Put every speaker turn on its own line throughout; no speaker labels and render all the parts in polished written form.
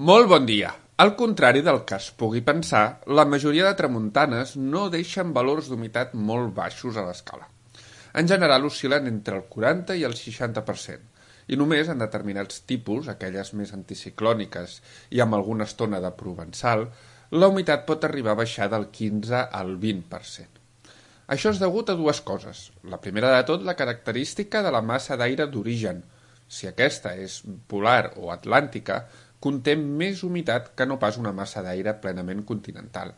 Molt bon dia. Al contrari del que es pugui pensar, la majoria de tramuntanes no deixen valors d'humitat molt baixos a l'escala. En general oscil·len entre el 40 i el 60%, i només en determinats tipus, aquelles més anticiclòniques i amb alguna estona de provençal, la humitat pot arribar a baixar del 15 al 20%. Això és degut a dues coses. La primera de tot, la característica de la massa d'aire d'origen. Si aquesta és polar o atlàntica, conté més humitat que no pas una massa d'aire plenament continental.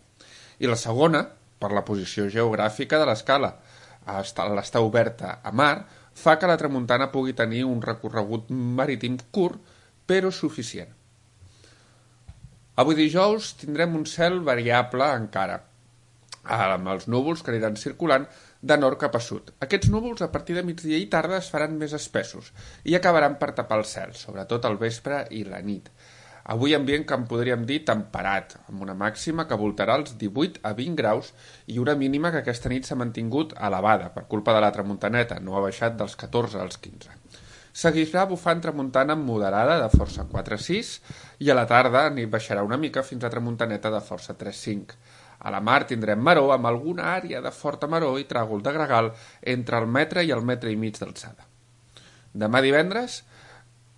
I la segona, per la posició geogràfica de l'escala. L'estar oberta a mar fa que la tramuntana pugui tenir un recorregut marítim curt, però suficient. Avui dijous tindrem un cel variable encara, amb els núvols que aniran circulant de nord cap a sud. Aquests núvols a partir de migdia i tarda es faran més espessos i acabaran per tapar el cel, sobretot al vespre i la nit. Avui ambient que en podríem dir temperat, amb una màxima que voltarà els 18 a 20 graus i una mínima que aquesta nit s'ha mantingut elevada per culpa de la tramuntaneta, no ha baixat dels 14 als 15. Seguirà bufant tramuntana moderada de força 4-6 i a la tarda n'hi baixarà una mica fins a tramuntaneta de força 3-5. A la mar tindrem maror amb alguna àrea de forta maror i tràgol de gregal entre el metre i el metre i mig d'alçada. Demà divendres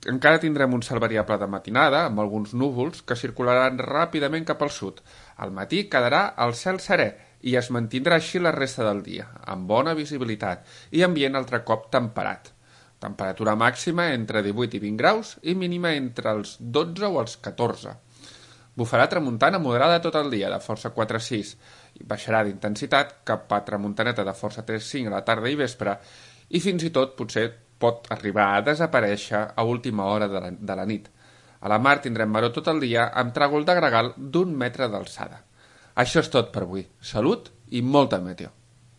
encara tindrem un cel variable de matinada amb alguns núvols que circularan ràpidament cap al sud. Al matí quedarà el cel serè i es mantindrà així la resta del dia, amb bona visibilitat i ambient altre cop temperat. Temperatura màxima entre 18 i 20 graus i mínima entre els 12 o els 14. Bufarà tramuntana moderada tot el dia, de força 4-6, i baixarà d'intensitat cap a tramuntaneta de força 3-5 a la tarda i vespre, i fins i tot potser pot arribar a desaparèixer a última hora de la nit. A la mar tindrem maror tot el dia amb tràgol de gregal d'1 metre d'alçada. Això és tot per avui. Salut i molta meteo.